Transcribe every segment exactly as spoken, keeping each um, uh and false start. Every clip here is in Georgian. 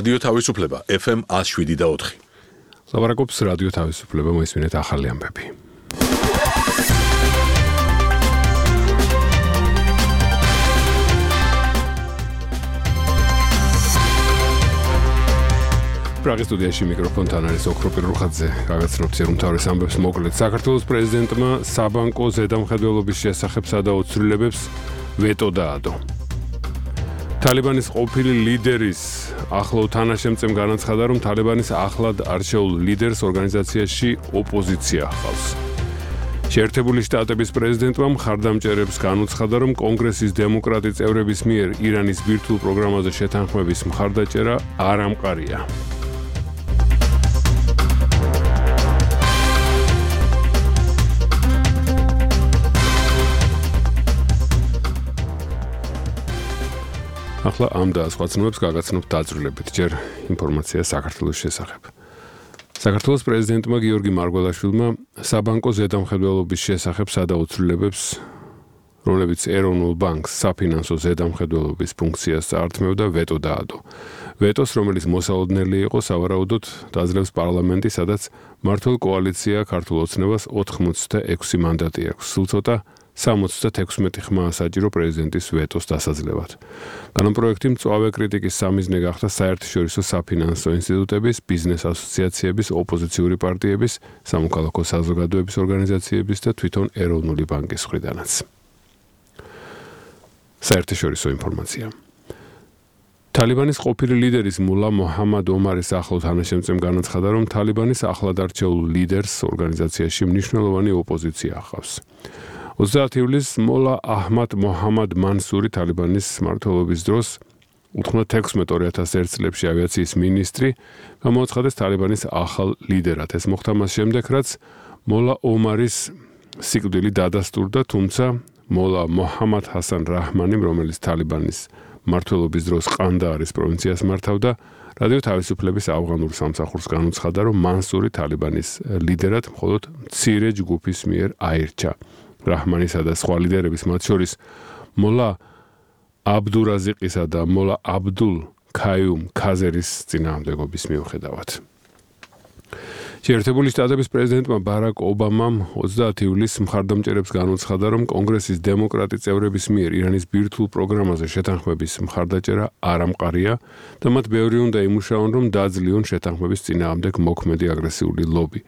რადიო თავისუფლება ეფ ემ one oh seven point four. ლაპარაკობს რადიო თავისუფლება, მოისმინეთ ახალი ამბები. პრაღის სტუდიაში მიკროფონთან არის ოქრო პირუხაძე, გაგაცნობთ umთავრეს ამბებს მოკლედ. საქართველოს პრეზიდენტმა საბანკო ზედამხედველობის შესახებ სადაო ცვლილებებს ვეტო დაადო. თალიბანის ყოფილი ლიდერის ახლო თანაშემწემ განაცხადა, რომ თალიბანის ახლად არჩეულ ლიდერს ორგანიზაციაში ოპოზიცია ჰყავს. შეერთებული შტატების პრეზიდენტმა მხარდამჭერებს განუცხადა, რომ კონგრესის დემოკრატი წევრების მიერ ირანის ბირთვულ პროგრამაზე შეთანხმების მხარდაჭერა არ ამყარია. ახლა ამ და სხვა ცნობებს გაგაცნობთ დაწვრილებით, ჯერ ინფორმაცია საქართველოს შესახებ. საქართველოს პრეზიდენტმა გიორგი მარგველაშვილმა საბანკო ზედამხედველობის შესახებ სადაო ცვლილებებს, რომლებიც ეროვნულ ბანკს საფინანსო ზედამხედველობის ფუნქციას წაართმევდა, ვეტო დაადო. ვეტოს, რომელიც მოსალოდნელი იყო, სავარაუდოდ დაძლევს პარლამენტი, სადაც მმართველ კოალიცია ქართულ ოცნებას ოთხმოცდაექვსი მანდატი აქვს. სულ ცოტა სამოცდათექვსმეტი ხმა საჭირო პრეზიდენტის ვეტოს დასაძლევად. კანონპროექტი მწვავე კრიტიკის სამიზნე გახდა საერთაშორისო საფინანსო ინსტიტუტების, ბიზნეს ასოციაციების, ოპოზიციური პარტიების, სამოქალაქო საზოგადოების ორგანიზაციების და თვითონ ეროვნული ბანკის მხრიდანაც. საერთაშორისო ინფორმაცია. თალიბანის ყოფილი ლიდერის მულა მოჰამად ომარის ახლო თანაშემწემ განაცხადა, რომ თალიბანის ახლად არჩეულ ლიდერს ორგანიზაციაში მნიშვნელოვანი ოპოზიცია ჰყავს. ოცდაათი ივლისს მოლა აჰმად მოჰამად მანსური თალიბანის მმართველობის დროს ութმოცდათექვსმეტ ორი ათას ერთ წლებში ავიაციის მინისტრი გამოაცხადეს თალიბანის ახალ ლიდერად. ეს მოხდა მას შემდეგ, რაც მოლა ომარის სიკვდილი დადასტურდა, თუმცა მოლა მოჰამად ჰასან რაჰმანი, რომელიც თალიბანის მმართველობის დროს ყანდაარის პროვინციას მართავდა, რადიო თავისუფლების ავღანურ სამსახურს განუცხადა, რომ მანსური თალიბანის ლიდერად მხოლოდ მცირე ჯგუფის მიერ აირჩა. რაჰმანისა და სხვა ლიდერების, მათ შორის მოლა აბდურაზიყისა და მოლა აბდულ ქაიუმ ქაზერის წინააღმდეგობის მიუხედავად. შეერთებული შტატების პრეზიდენტმა ბარაკ ობამამ ოცდაათი ივლისს მხარდამჭერებს განუცხადა, რომ კონგრესის დემოკრატი წევრების მიერ ირანის ბირთვულ პროგრამაზე შეთანხმების მხარდაჭერა არ ამყარია და მათ ბევრი უნდა იმუშაონ, რომ დაძლიონ შეთანხმების წინააღმდეგ მოქმედი აგრესიული ლობი.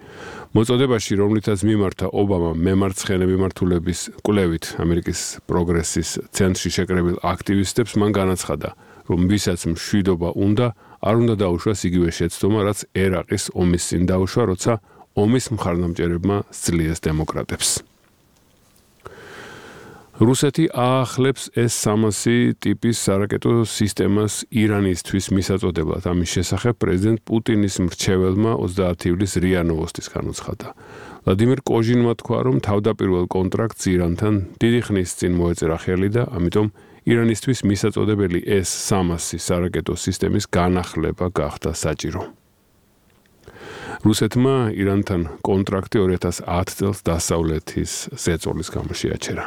მოწოდებაში, რომლითაც მიმართა ობამამ მემარცხენე მიმართულების კვლევით ამერიკის პროგრესის ცენტრში შეკრებილ აქტივისტებს, მან განაცხადა, რომ ვისაც მშვიდობა უნდა, არ უნდა დაუშვას იგივე შეცდომა, რაც ერაყის ომის წინ დაუშვა, როცა ომის მხარდამჭერებმა სძლიეს დემოკრატებს. რუსეთი აახლებს ეს სამასი ტიპის სარაკეტო სისტემას ირანისთვის მისაწოდებლად. ამის შესახებ პრეზიდენტ პუტინის მრჩეველმა ოცდაათი ივლისს რია ნოვოსტის განუცხადა. ვლადიმერ კოჟინმა თქვა, რომ თავდაპირველ კონტრაქტს ირანთან დიდი ხნის წინ მოეწერა ხელი და ამიტომ ირანისთვის მისაწოდებელი ეს სამასი სარაკეტო სისტემის განახლება გახდა საჭირო. რუსეთმა ირანთან კონტრაქტი ორი ათას ათი წელს დასავლეთის ზეწოლის გამო შეაჩერა.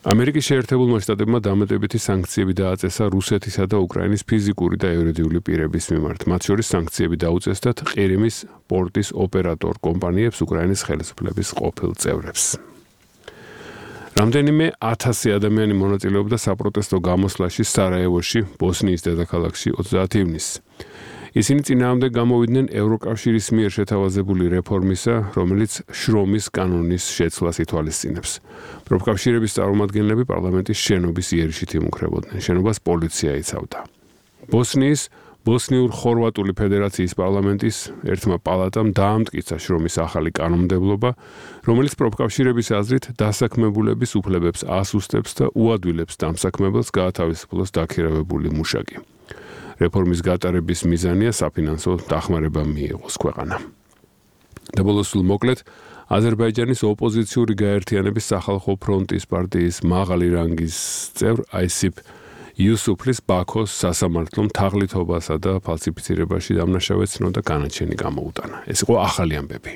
ამერიკის შეერთებულმა შტატებმა დამატებითი სანქციები დააწესა რუსეთისა და უკრაინის ფიზიკური და იურიდიული პირების მიმართ. მათ შორის სანქციები დაუწესდათ ყირიმის პორტის ოპერატორ კომპანიებს, უკრაინის ხელისუფლების ყოფილ წევრებს. რამდენიმე ათასი ადამიანი მონაწილეობდა საპროტესტო გამოსვლაში სარაევოში, ბოსნიის დედაქალაქში ოცდაათი ივნისს. ისინი წინააღმდეგ გამოვიდნენ ევროკავშირის მიერ შეთავაზებული რეფორმისა, რომელიც შრომის კანონის შეცვლას ითვალისწინებს. პროფკავშირების წარმომადგენლები პარლამენტის შენობის იერიშით იმუქრებოდნენ. შენობას პოლიცია იცავდა. ბოსნიის ბოსნიურ-ხორვატული ფედერაციის პარლამენტის ერთმა პალატამ დაამტკიცა შრომის ახალი კანონმდებლობა, რომელიც პროფკავშირების აზრით დასაქმებულების უფლებებს ასუსტებს და უადვილებს დამსაქმებელს გაათავისუფლოს დაქირავებული მუშაკი. რეფორმის გატარების მიზანია საფინანსო დახმარება მიიღოს ქვეყანამ. და ბოლოს სულ მოკლედ, აზერბაიჯანის ოპოზიციური გაერთიანების სახალხო ფრონტის პარტიის მაღალი რანგის წევრ აისიფ იუსუფლის ბაქოს სასამართლომ თაღლითობასა და ფალსიფიცირებაში დამნაშავედ ცნო და განაჩენი გამოუტანა. ეს იყო ახალი ამბები.